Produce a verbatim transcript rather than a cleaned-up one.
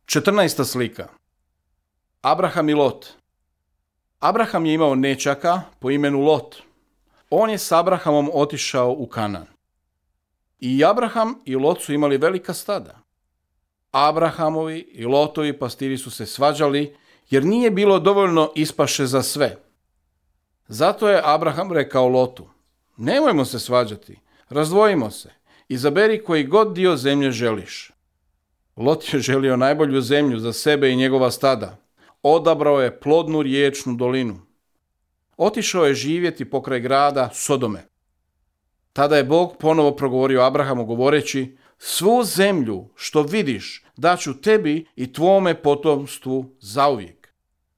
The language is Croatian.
četrnaesta slika. Abraham i Lot. Abraham je imao nećaka po imenu Lot. On je s Abrahamom otišao u Kanan. I Abraham i Lot su imali velika stada. Abrahamovi i Lotovi pastiri su se svađali jer nije bilo dovoljno ispaše za sve. Zato je Abraham rekao Lotu: nemojmo se svađati, razdvojimo se, izaberi koji god dio zemlje želiš. Lot je želio najbolju zemlju za sebe i njegova stada. Odabrao je plodnu riječnu dolinu. Otišao je živjeti pokraj grada Sodome. Tada je Bog ponovo progovorio Abrahamu govoreći: svu zemlju što vidiš daću tebi i tvome potomstvu zauvijek.